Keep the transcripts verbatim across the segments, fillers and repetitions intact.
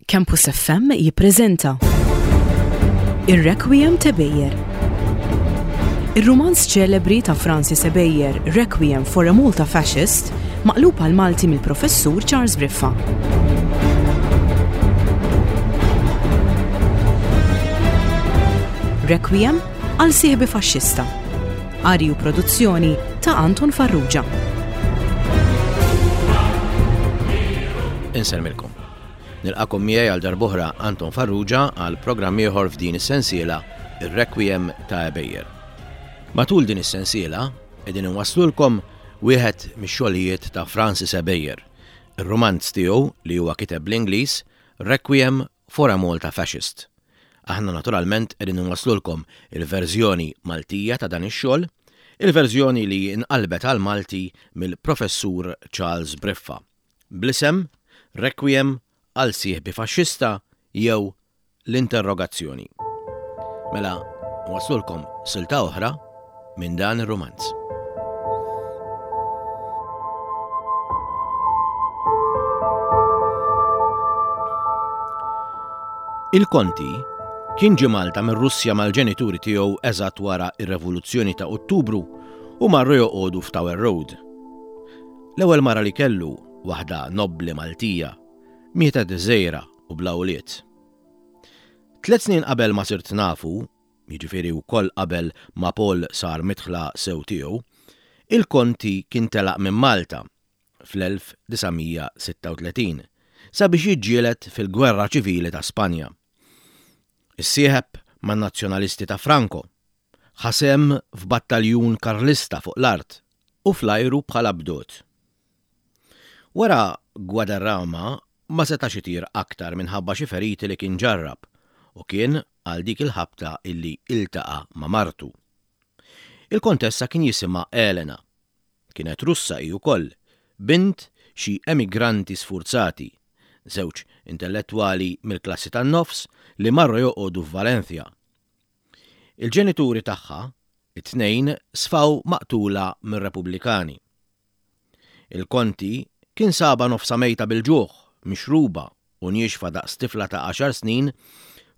Campus F M jippreżenta Ir-Requiem t'Ebejer. Ir-rumanz ċelebri ta' Francis Ebejer, Requiem for a Malta Fascist, maqlub għal Malti mill-professur Charles Briffa. Requiem għal sieħbi faxxista. Qari u produzzjoni ta' Anton Farrugia. Insellmilkom. Nilqagħkom miegħi għal darb'oħra Anton Farrugia għal programm ieħor f'din is-sensiela, Ir-Requiem ta' Ebejer. Matul din is-sensiela qegħdin inwasslulkom wieħed mix-xogħlijiet ta' Francis Ebejer, ir-rumanz tiegħu li huwa kiteb bl-Ingliż, Requiem for a Malta Fascist. Aħna naturalment qegħdin inwasslulkom il-verżjoni Maltija ta' dan ix-xogħol, il-verżjoni li nqalbet għal Malti mill-professur Charles Briffa, bl-isem Requiem għal sieħbi faxxista jew L-Interrogazzjoni. Mela, nwasslulkom silta oħra minn dan ir-rumanz. Il-Konti kien ġie Malta mir-Russja mal-ġenituri tiegħu eżatt wara r-Revoluzzjoni ta' Ottubru u marru joqogħdu f'Tower Road. L-ewwel mara li kellu, waħda nobbli Maltija, mietet żgħira u bla ulied. Tliet snin qabel ma sirt nafu, jiġifieri wkoll qabel ma Paul sar midħla sew tiegħu, il-Konti kien telaq minn Malta fl-elf disa' mija sitta u tletin sabiex jiġġieled fil-Gwerra Ċivili ta' Spanja. Issieħeb man-Nazzjonalisti ta' Franco, ħa sehem f'battaljun Karlista fuq l-art u fl-ajru bħala bdot. Wara Guadarrama ma setax itir aktar minħabba xi feriti li kien ġarrab u kien għal dik il-ħabta illi iltaqa' ma' martu. Il-kontessa kien jisimha Elena. Kienet Russa hi wkoll, bint xi emigranti sfurzati, żewġ intellettwali mill-klassi tan-nofs li marru joqogħdu f'Valencia. Il-ġenituri tagħha, it-tnejn, sfaw maqtula mir-Repubblikani. Il-Konti kien saba nofsa mejta bil-ġuħ, mixruba u niexfa daqs tifla ta' għaxar snin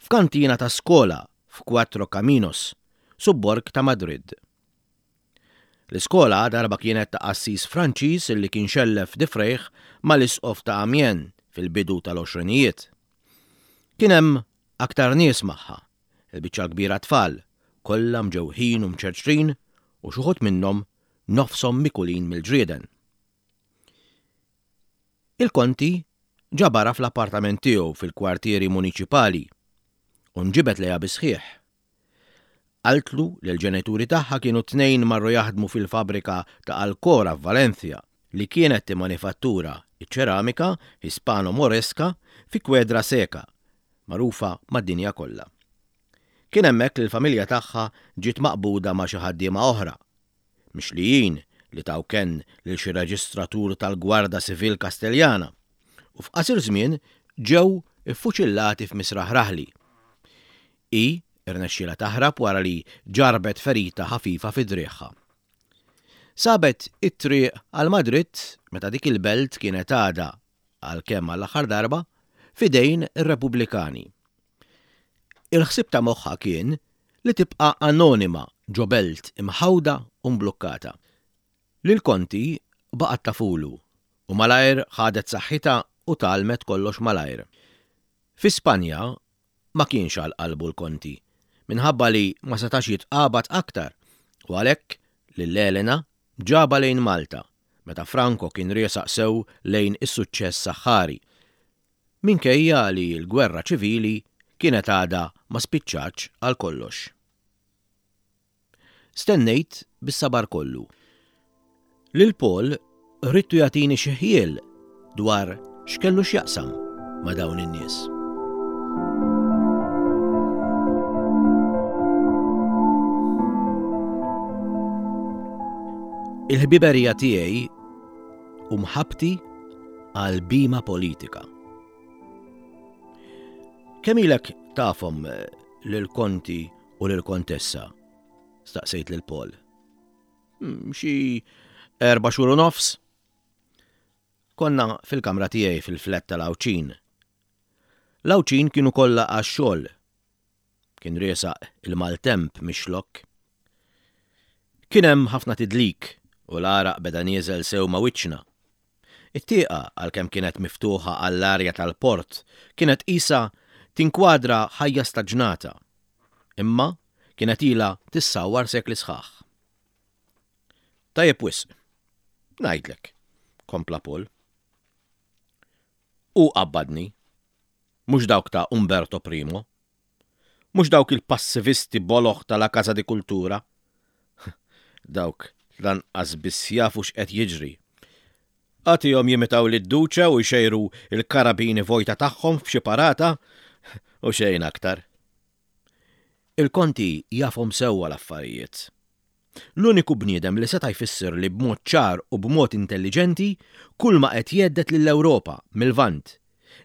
f'kantina ta' skola f'Quattro Caminos, subborg ta' Madrid. L-iskola darba kienet ta' qassis Franċiż li kien xellef difrejh mal-isqof ta' Amiens fil-bidu tal-għoxrinijiet. Kien hemm aktar nies magħha, il-biċċa kbira tfal, kollha mġewħin u mċerċrin u xi wħud minnhom nofshom mikulin mill-ġrieden. Il-Konti ġabara fl-appartament tiegħu fil-kwartieri muniċipali u nġibet lejha bisħieħ. Qaltlu li l-ġenituri tagħha kienu tnejn marru jaħdmu fil-fabrika ta' Alcora f'Valencia li kienet timmanifattura iċ-ċeramika Hispano-Moreska fi Kwedra Seka, magħrufa mad-dinja kollha. Kien hemmhekk li l-familja tagħha ġiet maqbuda ma' xi ħaddiema oħra, mixlijin li taw kenn lil xi reġistratur tal-Gwarda Civil Kasteljana u f'qasir żmien ġew iffuċillati f'Misraħ Raħli. I irnexxielha taħrab wara li ġarbet ferita ħafifa fi driegħha. Sabet it-triq għal Madrid meta dik il-belt kienet għadha, għalkemm għall-aħħar darba, f'idejn ir-Repubblikani. Il-ħsieb ta' moħħha kien li tibqa' anonima ġo belt imħawda u mblukkata. Lil Konti baqgħet tafulu u malajr ħadet saħħitha u talmet kollox malajr. Fi Spanja ma kienx għal qalbu l-Konti, minħabba li ma setax jitqabad aktar u għalhekk lil Elena ġaba lejn Malta meta Franco kien riesaq sew lejn is-suċċess saħħari, minkejja li l-gwerra ċivili kienet għadha ma spiċċatx għal kollox. Stennejt bis-sabar kollu. Lil Paul ridtu jagħtini xi ħjiel dwar x'kellu x'jaqsam ma' dawn in-nies. Il-ħbiberija tiegħi u mħabbti għal bima politika. Kemm ilek tafhom lil Konti u lil Kontessa? Staqsejt lil Paul. Hmm, xi erba' xhur u nofs. Konna fil-kamra tiegħi fil-flat tal-Għawdxin. L-Għawdxin kienu kollha għax-xogħol. Kien riesaq il-maltemp mix-Xlokk. Kien hemm ħafna tidlik u l-għaraq beda nieżel sew ma' wiċċna. It-tieqa, għalkemm kienet miftuħa għall-arja tal-port, kienet qisha tinkwadra ħajja staġnata. Imma kienet ilha tissawwar sekli sħaħ. Tajjeb wisq, ngħidlek, kompla Paul. U qabbadni, mhux dawk ta' Umberto Primo, mhux dawk il-passivisti boloh ta' Casa di Cultura. Dawk lanqas biss jafu x'qed jiġri. Agħtihom jimitaw lid-Duce u jxejru il-karabini vojta tagħhom f'xi parata u xejn aktar. Il-konti jafhom sewwa l-affarijiet. L-uniku bniedem li seta' jfisser li b'mod ċar u b'mod intelliġenti kull ma qed jhedded lill-Ewropa mil-Lvant,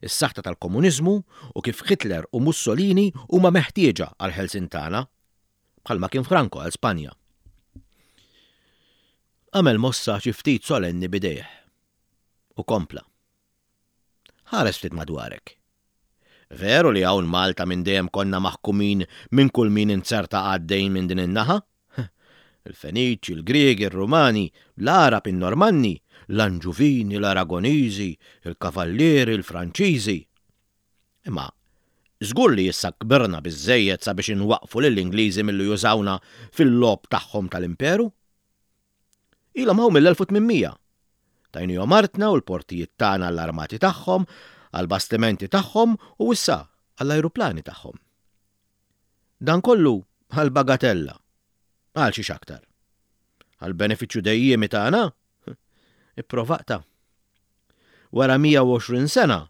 is-saħta tal-komuniżmu u kif Hitler u Mussolini huma meħtieġa għall-ħelsien tagħna, bħalma kien Franco għal Spanja. Għamel mossa xi ftit solenni b'idejh u kompla. Ħares ftit madwarek. Veru li hawn Malta minn dejjem konna maħkumin minn kull min inzerta għaddejn minn din in-naħa? Il-Feniċi, il-Griegi, il-Rumani, l-Arab, il-Normanni, l-Anġuvini, l-Aragoniżi, il-Kavallieri, il-Franċiżi. Imma żgur li issa kbirna biżżejjed sabiex inwaqfu lill-Ingliżi milli jużawna fil-logħob tagħhom tal-imperu? Ilhom hawn mill-elf u tmien mija. Tajnihom artna u l-portijiet tagħna għall-armati tagħhom, għall-bastimenti tagħhom u issa għall-ajruplani tagħhom. Dan kollu għal bagatella, għal xiex aktar. Għal benefiċċju dejjiemi tagħna? Ipprovaqta. Wara mija u għoxrin sena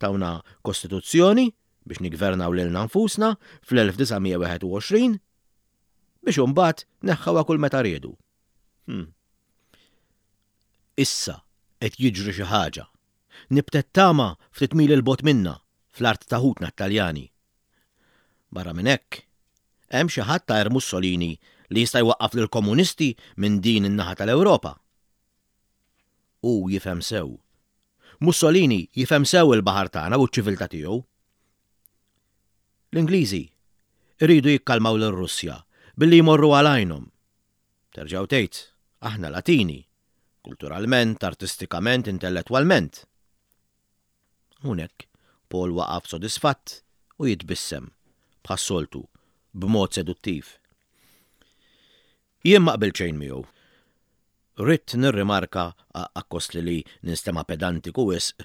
tawna kostituzzjoni biex nigvernaw lilna nfusna fl-elf disa' mija wieħed u għoxrin biex imbagħad neħħewha kull meta riedu. Hmm. Issa qed jiġri xi ħaġa. Nibtet tama ftit mil 'il bogħod minna fl-art ta' ħutna Taljani. Barra minn hekk, hemm xi ħadd ta' Mussolini li jista' jwaqqaf lill-komunisti minn din in-naħa tal-Ewropa. U jifhem sew. Mussolini jifhem sew il-baħar tagħna u ċ-ċiviltà tiegħu. L-Ingliżi iridu jikkalmaw lir-Russja billi jmorru għal għajnhom. Terġgħu tgħid, aħna Latini, kulturalment, artistikament, intellettwalment. Hawnhekk Paul waqaf sodisfatt u jitbissem, bħas-soltu, b'mod seduttiv. Jien ma qbilt xejn miegħu. Ridt nirrimarka akkost li li ninstema' pedantiku wisq.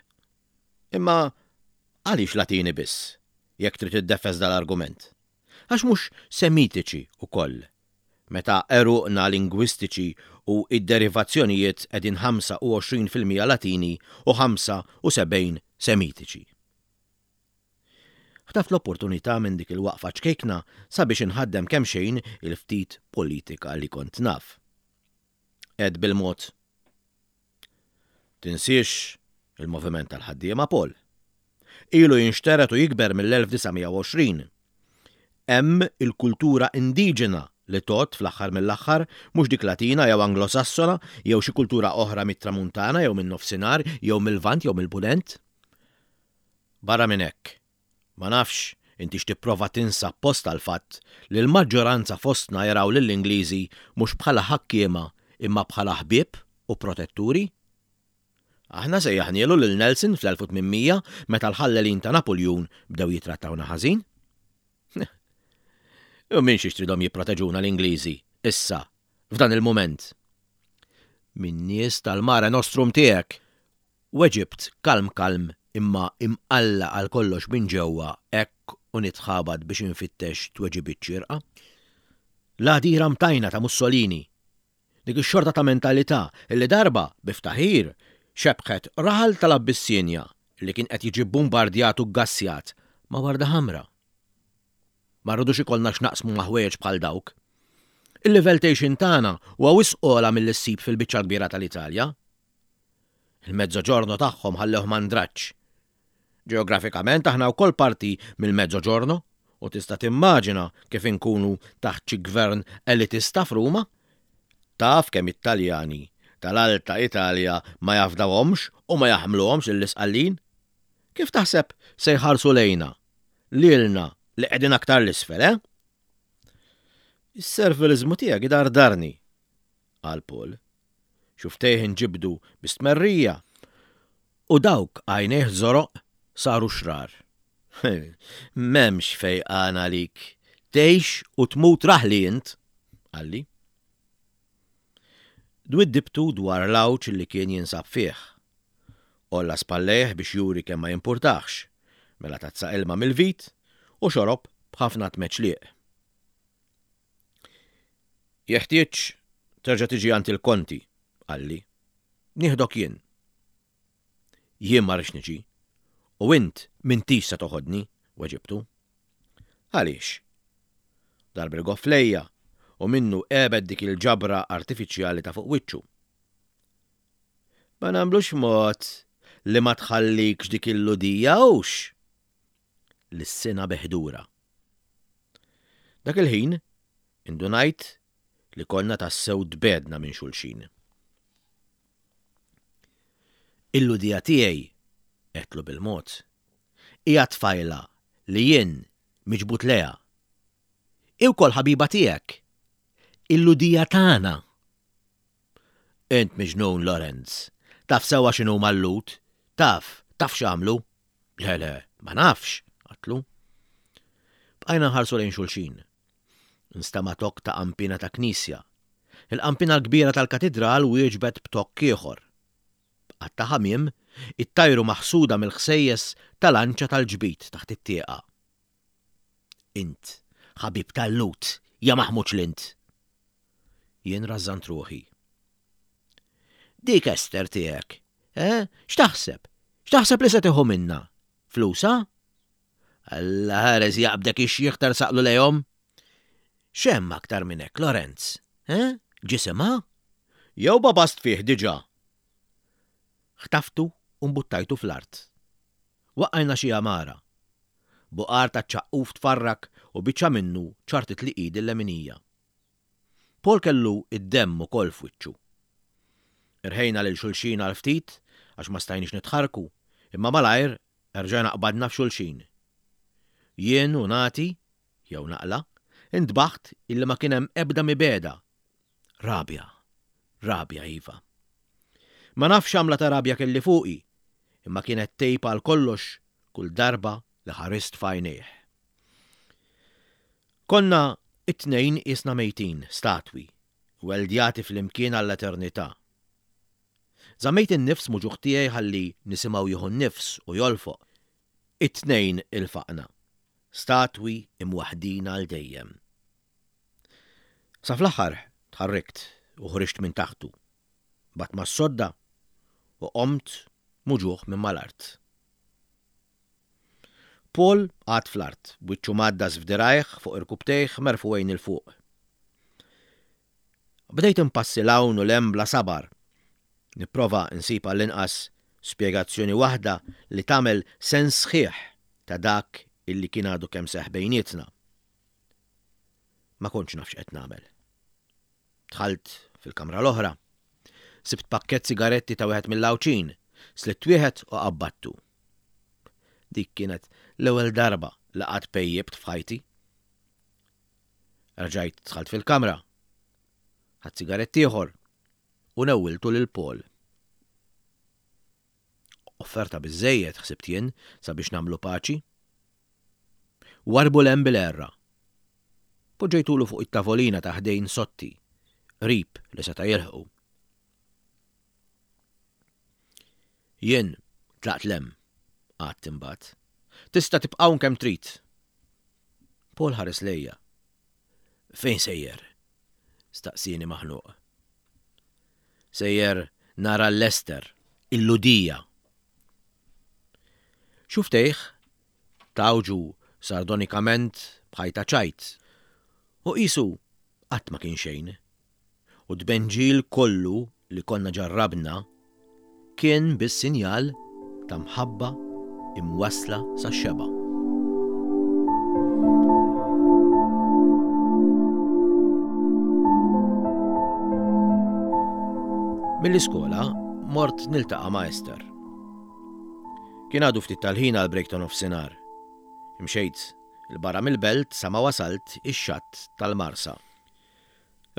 Imma għaliex Latini biss, jekk trid iddeffes dal-argument? Għax mhux Semitiċi ukoll, meta għeruqna lingwistiċi u id-derivazzjonijiet qegħdin ħamsa u għoxrin fil-mija Latini u ħamsa u sebgħin Semitiċi. Ħtaft l-opportunità minn dik il-waqfa ċkejkna sabiex inħaddem kemm xejn il-ftit politika li kont naf. Għedt bil-mod. Tinsiex il-moviment tal-ħaddiema, Paul. Ilu jinxteret u jikber mill-elf disa' mija u għoxrin. Hemm il-kultura indiġena li tot fl-aħħar mill-aħħar, mhux dik Latina jew Anglosassona jew xi kultura oħra mit-Tramuntana jew min-Nofsinhar jew mill-Lvant jew mill-Punent. Barra minn hekk, ma nafx inti x'tipprova tinsa post tal-fatt li l-maġġoranza fostna jaraw lill-Ingliżi mhux bħala ħakkiema imma bħala ħbieb u protetturi. Aħna sejjaħnielu lil Nelson fl-elf u tmien mija meta l-ħallelin ta' Napoleon bdew jitrattawna ħażin. U minn xiex tridhom jipproteġuna l-Ingliżi, issa, f'dan il-moment? Min nies tal-Mare Nostrum tiegħek. Weġibt kalm kalm imma imqalla għal kollox minn ġewwa hekk u nitħabat biex infittex tweġibiet xierqa. L-għadira mtajna ta' Mussolini. Dik ix-xorta ta' mentalità illi darba biftaħir xebħet raħal tal-Abbissinja li kien qed jiġi bombardjat u gassjat ma' warda ħamra. Ma rridux ikollna x'naqsmu ma' ħwejjeġ bħal dawk. Il-livell t'għixien tagħna huwa wisq ogħla milli ssib fil-biċċa kbira tal-Italja. Il-Mezzogiorno tagħhom ħallewh mandraġġ. Ġeografikament aħna wkoll parti mill-Mezzogiorno u tista' timmaġina kif inkunu taħt xi gvern elitista f'Ruma? Taf kemm it-Taljani tal-Alta Italja ma jafdawhomx u ma jaħmluhomx l-Isqallin? Kif taħseb se jħarsu lejna? Lilna li qegħdin aktar l-isfel, eh? Is-servilizmu tiegħek idardarni, qal Paul. Xufftejh inġibdu bi stmerrija u dawk għajnejh żoroq saru xrar. M'hemmx fejqan għalik. Tgħix u tmut raħli int, qalli. Dwiddibtu dwar l-għawġ li kien jinsab fih. Għolla spallejh biex juri kemm ma jimpurtax, mela tazza ilma mill-vit u xorob b'ħafna tmeċliq. Jeħtieġ terġa' tiġi għand il-konti, qalli. Nieħdok jien. Jien ma rridx niġi. U int m'intix se toħodni, weġibtu. Għaliex? Dar bil-goff lejja u minnu għebet dik il-ġabra artifiċjali ta' fuq wiċċu. Ma nagħmlux mod li ma tħallikx dik il-Lhudija hux? Lissinha bi ħdura. Dak il-ħin indunajt li konna tassew tbegħedna minn xulxin. Il-Lhudija tiegħi, għedtlu bil-mod, hija tfajla li jien miġbud lejha. Hi wkoll ħabiba tiegħek. Il-Lhudija tagħna. Int miġnun, Lorenz. Taf sewwa x'inhuma l-Lhud. Taf, taf x'għamlu. Le, le, ma nafx, għedtlu. Bqajna nħarsu lejn xulxin. Nstama' tokk ta' qampina ta' knisja. Il-qampina l-kbira tal-katidral wieġbet b'tokk ieħor. Qatta ħamiem ittajru maħsuda mill-ħsejjes tal-anċa tal-ġbid taħt it-tieqa. Int, ħabib tal-Lhud, ja maħmuġ l-int. Jien rażżant ruħi. Dik Ester tiegħek, eh? X'taħseb? X'taħseb li se tieħu minna? Flusa? Alla ħares jaqbdek ix-xiħ tarsaqlu lejhom. X'hemm aktar minn hekk, Lorenz? Eh? Ġisimha? Jew babast fih diġà? Ħtaftu u mbuttajtu fl-art. Waqqajna xi għamara. Buqar ta' ċaqquf tfarrak u biċċa minnu ċartitli idi l-leminija. Paul kellu id-demm ukoll f'wiċċu. Irħejna lil xulxin għal ftit għax ma stajniex nitħarku, imma malajr erġajna qbadna f'xulxin. Jien u nagħti, jew naqla, intbaħt illi ma kien hemm ebda mibegħda. Rabja, rabja iva. Ma nafx għamla ta' rabja kelli fuqi, imma kienet tgħib għal kollox kull darba li ħarist f'għajnejh. Konna it-tnejn qisna mejtin, statwi, weldjati flimkien għall-eternità. Żammejt in-nifs muġugħ tiegħi ħalli nisimgħu jieħu n-nifs u jolfoq. It-tnejn ilfaqna, statwi imwaħdin għal dejjem. Sa fl-aħħar tħarrikt u ħriġt minn taħtu. Bat mas-sodda u qomt muġugħ minn mal-art. Paul qagħad fl-art, wiċċu mgħaddas f'dirgħajh fuq irkubtejh merfugħin 'il fuq. Bdejt impassi 'l hawn u 'l hemm bla sabar. Nipprova nsib għall-inqas spjegazzjoni waħda li tagħmel sens sħiħ ta' dak illi kien għadu kemm seħ bejnietna. Ma kontx naf x'qed nagħmel. Dħalt fil-kamra l-oħra. Sibt pakkett sigaretti ta' wieħed mill-Għawdxin, slitt wieħed u qabbattu. Dik kienet l-ewwel darba li qatt pejjibt f'ħajti. Rġajt dħalt fil-kamra. Ħadt sigarett ieħor u newwiltu lil Paul. Offerta biżżejjed ħsibt jien sabiex nagħmlu paċi. Warbu 'l hemm bil-għerra. Poġġejtulu fuq it-tavolina ta' ħdejn sotti, qrib li seta' jilħqu. Jien tlaqt 'l hemm, għadt imbagħad. Tista' tibqa' hawn kemm trid. Paul ħares lejja. Fejn sejjer? Staqsieni maħnuq. Sejjer nara l-Ester, il-Lhudija. Xuftejh tawġu sardonikament bħajta ċajt. U qisu qatt ma kien xejn. U d-tbenġil kollu li konna ġarrabna kien biss sinjal ta' mħabba imwassla sax-xeba'. Mill-iskola mort niltaqa' ma' Esther. Kien għadu ftit tal-ħin għal break ta' nofsinhar. Imxejt 'il barra mill-belt sa ma wasalt ix-xatt tal-Marsa.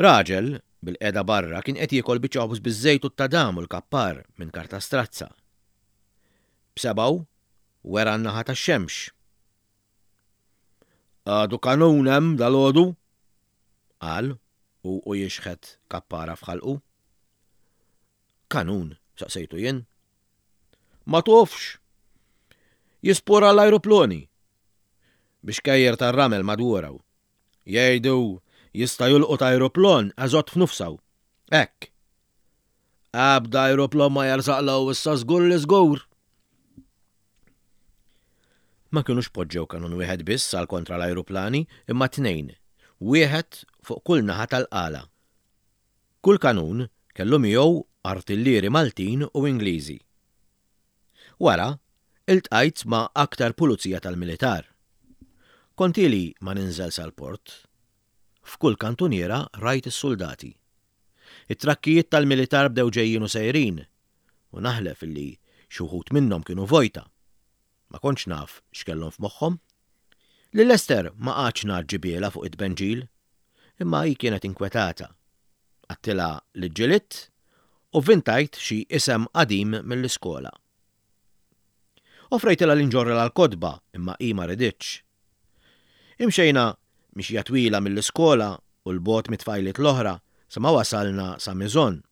Raġel bilqiegħda barra kien qed jiekol biċċa ħobż biż-żejt u t-tadam u l-kappar minn karta strazza. B'sebgħu wera n-naħa tax-xemx. Għadu kanun hemm dalgħodu? Qal u u jixħet kappara f'ħalqu. Kanun, saqsejtu jien. Ma tafx. Jispara l-ajruplani. B'xkejjer tar-ramel madwaru. Jgħidu jista' jolqot ajruplan eżatt f'nofsu. Hekk. Ebda ajruplan ma jersaqlu issa żgur li żgur. Ma kienux poġġew kanun wieħed biss għal kontra l-ajruplani, imma tnejn, wieħed fuq kull naħa tal-qala. Kull kanun kellu miegħu artillieri Maltin u Ingliżi. Wara, iltqajt ma' aktar pulizija tal-militar. Kont ili ma ninżel sal-port. F'kull kantuniera rajt is-soldati. It-trakkijiet tal-militar bdew ġejjin u sejrin, u naħlef illi xi wħud minnhom kienu vojta. Ma kontx naf x'kellhom f'moħħhom. Lil Ester ma qgħadtx ngħaġġibilha fuq it-tbenġil, imma hi kienet inkwetata. Għedtilha li ġġilidt u vvintajt xi isem qadim mill-iskola. Offrejtilha li nġorrilha l-kotba imma hi ma riditx. Imxejna mixja twila mill-iskola u 'l bogħod mit-tfajliet l-oħra sa ma wasalna sa Miżon,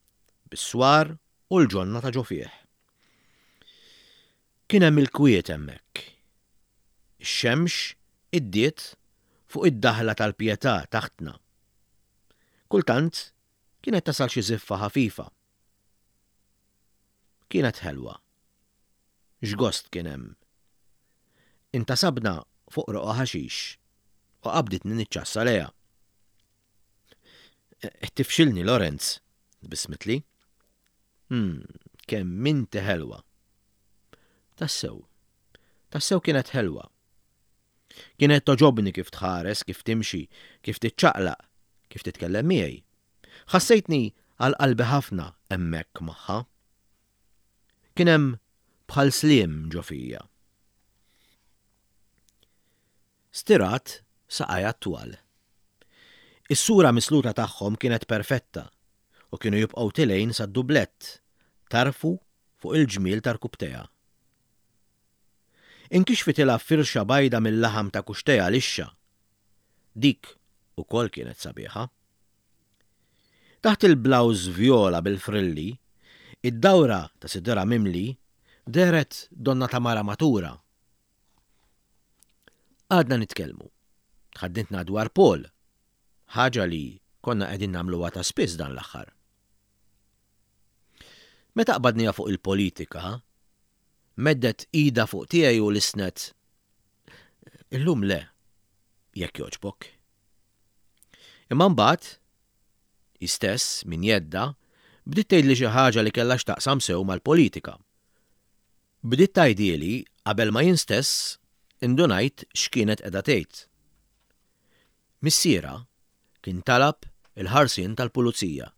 bis-swar u l-ġonna ta' ġo fih. Kien hemm il-kwiet hemmhekk. Ix-xemx iddiet fuq id-daħla tal-Pietà taħtna. Kultant kienet tasal xi żiffa ħafifa. Kienet ħelwa. X'gost kien hemm. Intasabna fuq roqgħa ħaxix u qabditni niċċassa lejha. Qed tifxilni Lorenz, tbissmitli. Hmm, kemm inti ħelwa. Tassew. Tassew kienet ħelwa. Kienet togħġobni kif tħares, kif timxi, kif tiċċaqlaq, kif titkellem miegħi. Ħassejtni għal qalbi ħafna hemmhekk magħha. Kien hemm bħal sliem ġo fija. Stirat saqajha twal. Is-sura misluta tagħhom kienet perfetta u kienu jibqgħu tilgħin sad-dublett, tarfu fuq il-ġmiel ta' rkubbtejha. Inkixfitilha firxa bajda mill-laħam ta' kuxxtejha lixxa. Dik ukoll kienet sabiħa. Taħt il-blawż vjola bil-frilli, id-dawra ta' sidirha mimli dehret donnha ta' mara matura. Għadna nitkellmu. Tħadditna dwar Paul, ħaġa li konna qegħdin nagħmluha ta' spiss dan l-aħħar. Meta qbadniha fuq il-politika, meddet idha fuq tiegħi u lissnet. Illum le, jekk jogħġbok. Imma mbagħad, hi stess minn jeddha, bdiet tgħidli xi ħaġa li kellha x'taqsam sew mal-politika. Bdiet tgħidhieli qabel ma jien stess indunajt x'kienet qiegħda tgħid. Missierha kien talab il-ħarsien tal-pulizija.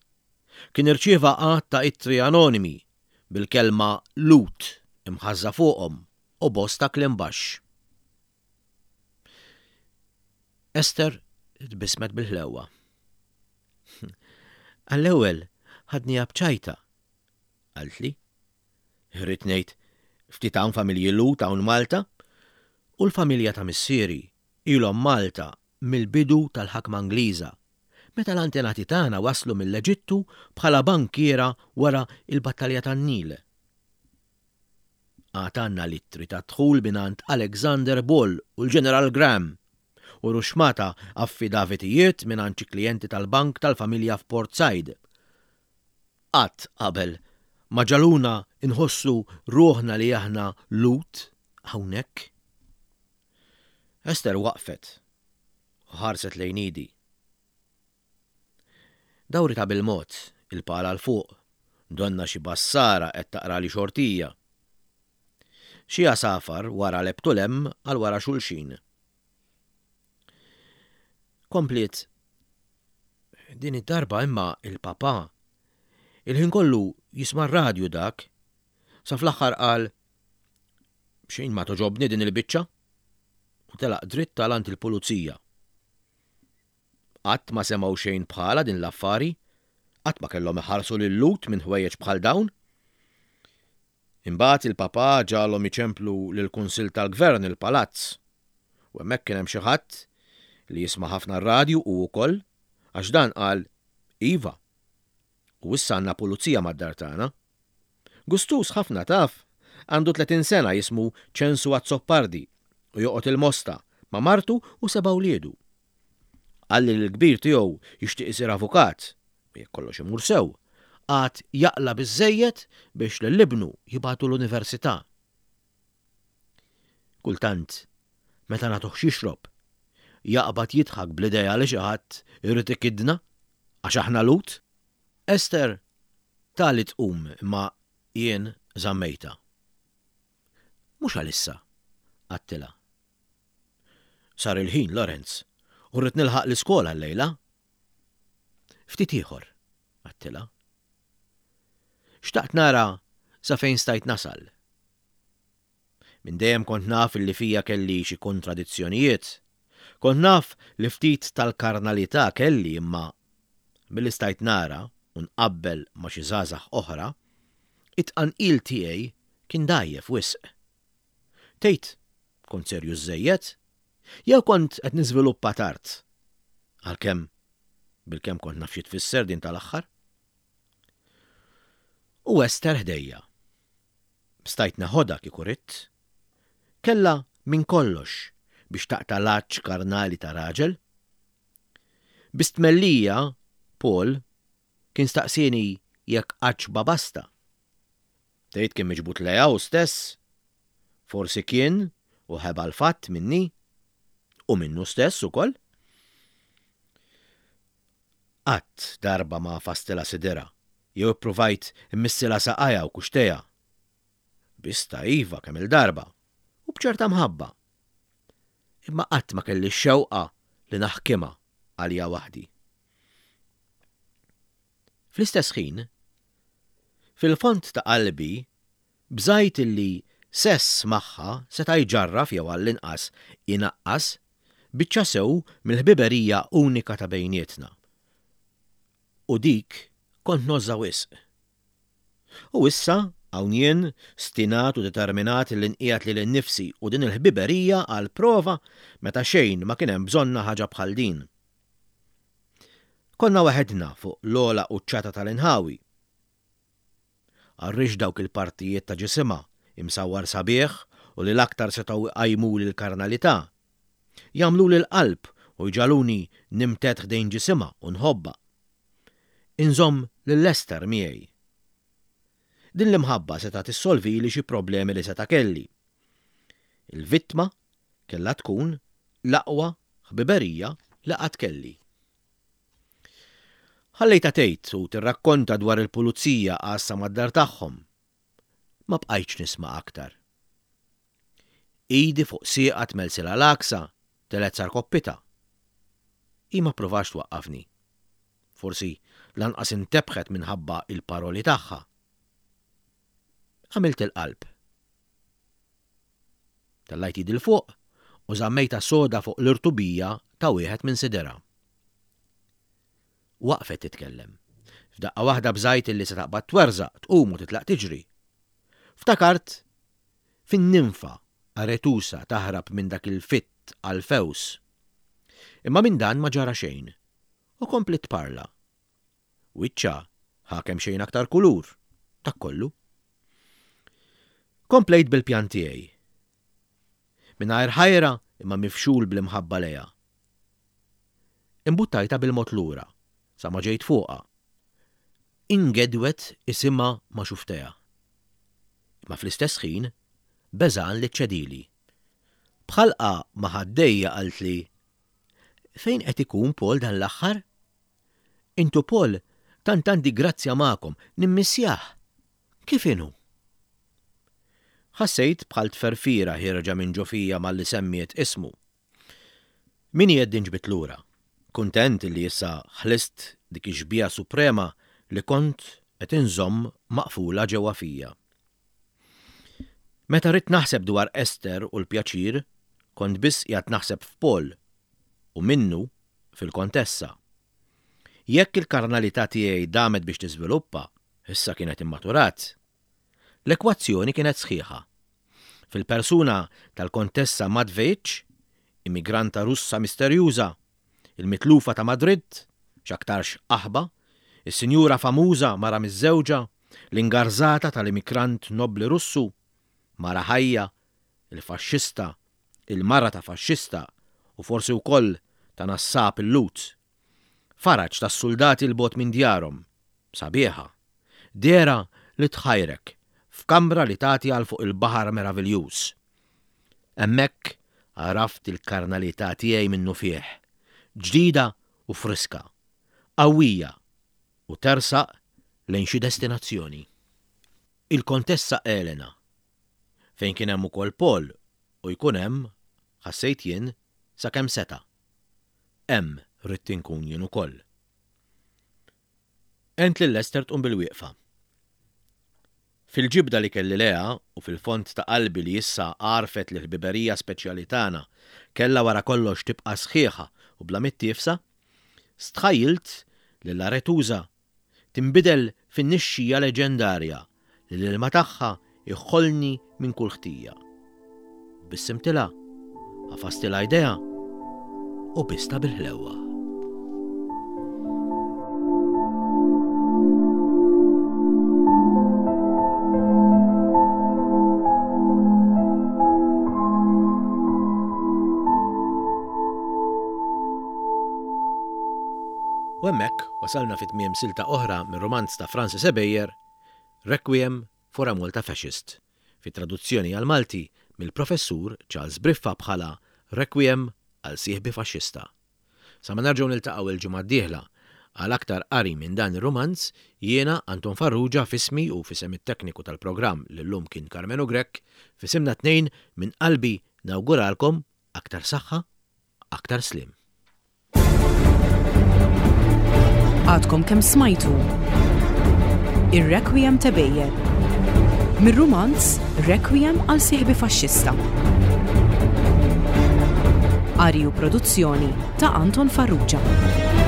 Kien irċieva għadd ta' ittri anonimi bil-kelma Lhud imħażża fuqhom u bosta kliem baxx. Ester tbissmet bil-ħlewwa. Għall-ewwel ħadniha b'ċajta, qaltli. Irrid ngħid ftit hawn familji Lhud hawn Malta u l-familja ta' missieri ilhom Malta mill-bidu tal-ħakma Ingliża, meta l-antenati tagħna waslu mill-Eġittu bħala bankiera wara il-battalja tan-Nil. Għad għandna l-ittri ta' dħul mingħand Alexander Bull u l-Ġeneral Graham u ruxxmata affidavitijiet mingħand xi klijenti tal-bank tal-familja f'Port Said. Qatt qabel ma ġagħluna nħossu ruħna li aħna Lhud hawnhekk. Ester waqfet u ħarset lejn idi. Dawritha bil-mod il-pala 'l fuq, donnha xi bassara qed taqrali xortija. Xi għasafar wara lebbtu 'l hemm għal wara xulxin. Kompliet, din id-darba imma il-papa, il-ħin kollu jisma' r-radju dak, sa fl-aħħar qal, B'xejn ma togħġobni din il-biċċa. U telaq dritt għal għand il-pulizija. Qatt ma semgħu xejn bħala din l-affari, qatt ma kellhom iħarsu lil-Lhud minn ħwejjeġ bħal dawn. Imbagħad il-papa ġagħalhom iċemplu lill-Kunsill tal-Gvern il-Palazz. U hemmhekk kien hemm xi ħadd li jisma' ħafna r-radju u wkoll għax dan qal iva. U issa għandna pulizija mad-dar tagħna. Gustuż ħafna taf, għandu tletin sena jismu Ċensu Azzopardi u joqgħod il-Mosta ma' martu u seba' wliedu. Qalli li l-kbir tiegħu jixtieq isir avukat u jekk kollox imur sew, għad jaqla' biżżejjed biex lil ibnu jibagħtu l-università. Kultant, meta nagħtuh x'jixrob, jaqbad jidħak bl-idea li xi ħadd irid ikiddna għax aħna Lhud. Esther tali tqum imma jien żammejtha. Mhux għalissa, għedtilha. Sar il-ħin, Lorenz, u rrid nilħaq l-iskola llejla. Ftit ieħor, għedtilha. Xtaqt nara sa fejn stajt nasal. Minn dejjem kont naf li fija kelli xi kontradizzjonijiet. Kont naf li ftit tal-karnalità kelli imma milli stajt nara u nqabbel ma' xi żgħażagħ oħra, it-tqanqil tiegħi kien dgħajjef wisq. Tgħid kont serju żejjed? Jew kont qed niżviluppa tard? Għalkemm bilkemm kont naf xi tfisser din tal-aħħar. U Esther ħdejja. Stajt neħodha kieku ridt. Kellha minn kollox biex taqta' l-għatx karnali ta' raġel. Bi stmellija, Paul kien staqsieni jekk qattx babasta. Tgħid kien miġbud lejha hu stess. Forsi kien u ħeba l-fatt minni u minnu stess ukoll. Qatt darba ma għafastilha sidirha jew ippruvajt immissilha saqajha u kuxtejha. Bistha iva kemm il-darba u b'ċerta mħabba. Imma qatt ma kelli x-xewqa li naħkimha għalija waħdi. Fl-istess ħin, fil-fond ta' qalbi bżajt illi sess magħha seta' jġarraf jew għall-inqas inaqqas biċċa sew mill-ħbiberija unika ta' bejnietna. U dik kont ngħożżha wisq. U issa hawn jien stinat u determinat li nqiegħed lili nnifsi u din il-ħbiberija għal prova meta xejn ma kien hemm bżonna ħaġa bħal din. Konna waħedna fuq l-ogħla quċċata tal-inħawi. Għarrix dawk il-partijiet ta' ġisimha imsawwar sabiħ u li l-aktar setgħu jqajmuli l-karnalità. Jagħmluli l-qalb u jġagħluni nimtedd ħdejn ġisimha u nħobbha. Inżomm lil Esther miegħi. Din l-imħabba seta' tissolvili xi problemi li seta' kelli. Il-vittma kellha tkun l-aqwa ħbiberija li qatt kelli. Ħallejtha tgħid u tirrakkonta dwar il-pulizija għassa mad-dar tagħhom. Ma bqajtx nisma' aktar. Idi fuq sieqha tmelsilha l-għaksa, telgħet sa rkoppitha. Hi ma ppruvatx twaqqafni. Forsi lanqas intebħet minħabba il-paroli tagħha. Għamilt il-qalb. Tellajt idi 'l fuq u żammejtha soda fuq l-irtubija ta' wieħed minn sidirha. Waqfet titkellem. F'daqqa waħda bżajt illi se taqbad twerżaq, tqum u titlaq tiġri. Ftakart fin-ninfa Aretusa taħrab minn dak il-fitt Alfews. Imma minn dan ma ġara xejn u kompliet tparla. Wiċċha ħa kemxejn aktar kulur, dak kollu. Komplejt bil-pjan tiegħi. Mingħajr ħajra imma mifxul bl-imħabba lejha. Imbuttajtha bil-mod lura, sa ma ġejt fuqha. Ingedwet isimha ma' xuftejha. Imma fl-istess ħin beżgħan li ċċedili. B'ħalqha ma' ħaddejja qaltli, Fejn qed ikun Paul dan l-aħħar? Intu Paul tant għandi grazzja magħkom, nimmissjah. Kif inhu? Ħassejt bħal tferfira ħierġa minn ġo fija malli semmiet ismu. Min jeddi nġbit lura, kuntent li issa ħlist dik ix-xbieha suprema li kont qed inżomm maqfula ġewwa fija. Meta ridt naħseb dwar Esther u l-pjaċir, kont biss qiegħed naħseb f'Paul u minnu fil-Kontessa. Jekk il-karnalità tiegħi damet biex tiżviluppa, issa kienet immaturat. L-ekwazzjoni kienet sħiħa. Fil-persuna tal-Kontessa Matvejċ, immigranta Russa misterjuża, il-mitlufa ta' Madrid, x'aktarx qaħba, is-sinjura famuża mara miżżewġa, l-ingarzata tal-immigrant nobbli Russu, mara ħajja, il-faxxista, il-mara ta' faxxista u forsi wkoll ta' nassab il-Lhud. Faraġ tas-suldati 'l bogħod minn djarhom, sabiħa, dehra li tħajrek f'kamra li tagħti għal fuq il-baħar meraviljuż. Hemmhekk għaraft il-karnalità tiegħi minnufih, ġdida u friska, qawwija u tersaq lejn xi destinazzjoni. Il-Kontessa Elena, fejn kien hemm ukoll Paul u jkun hemm, ħassejt jien, sakemm seta'. Hemm ridt inkun jien ukoll. Għent lil Esther tqum bil-wieqfa. Fil-ġibda li kelli lejha u fil-fond ta' qalbi li issa għarfet li l-ħbiberija speċjali tagħna kellha wara kollox tibqa' sħiħa u bla mittiefsa, stħajjilt lil Aretusa tinbidel fin-nixxija leġendarja li l-ilma tagħha jħollni minn kull ħtija. Tbissimtilha, għafastilha jdejha u bistha bil-ħlewwa. U hemmhekk wasalna fi tmiem silta oħra mir-rumanz ta' Francis Ebejer, Requiem for a Malta Fascist, fi traduzzjoni għall-Malti mill-Professur Charles Briffa bħala Requiem għal sieħbi faxxista. Sa ma nerġgħu niltaqgħu il-ġimgħa d-dieħla għal aktar qari minn dan ir-rumanz, jiena Anton Farrugia f'ismi u f'isem it-tekniku tal-programm li llum kien Karmenu Grech, f'isimna t-tnejn minn qalbi nawguralkom aktar saħħa, aktar sliem. Għadkom kemm smajtu Ir-Requiem Tebejjer mir-rumanz Requiem għal sieħbi faxxista. Qari u produzzjoni ta' Anton Farrugia.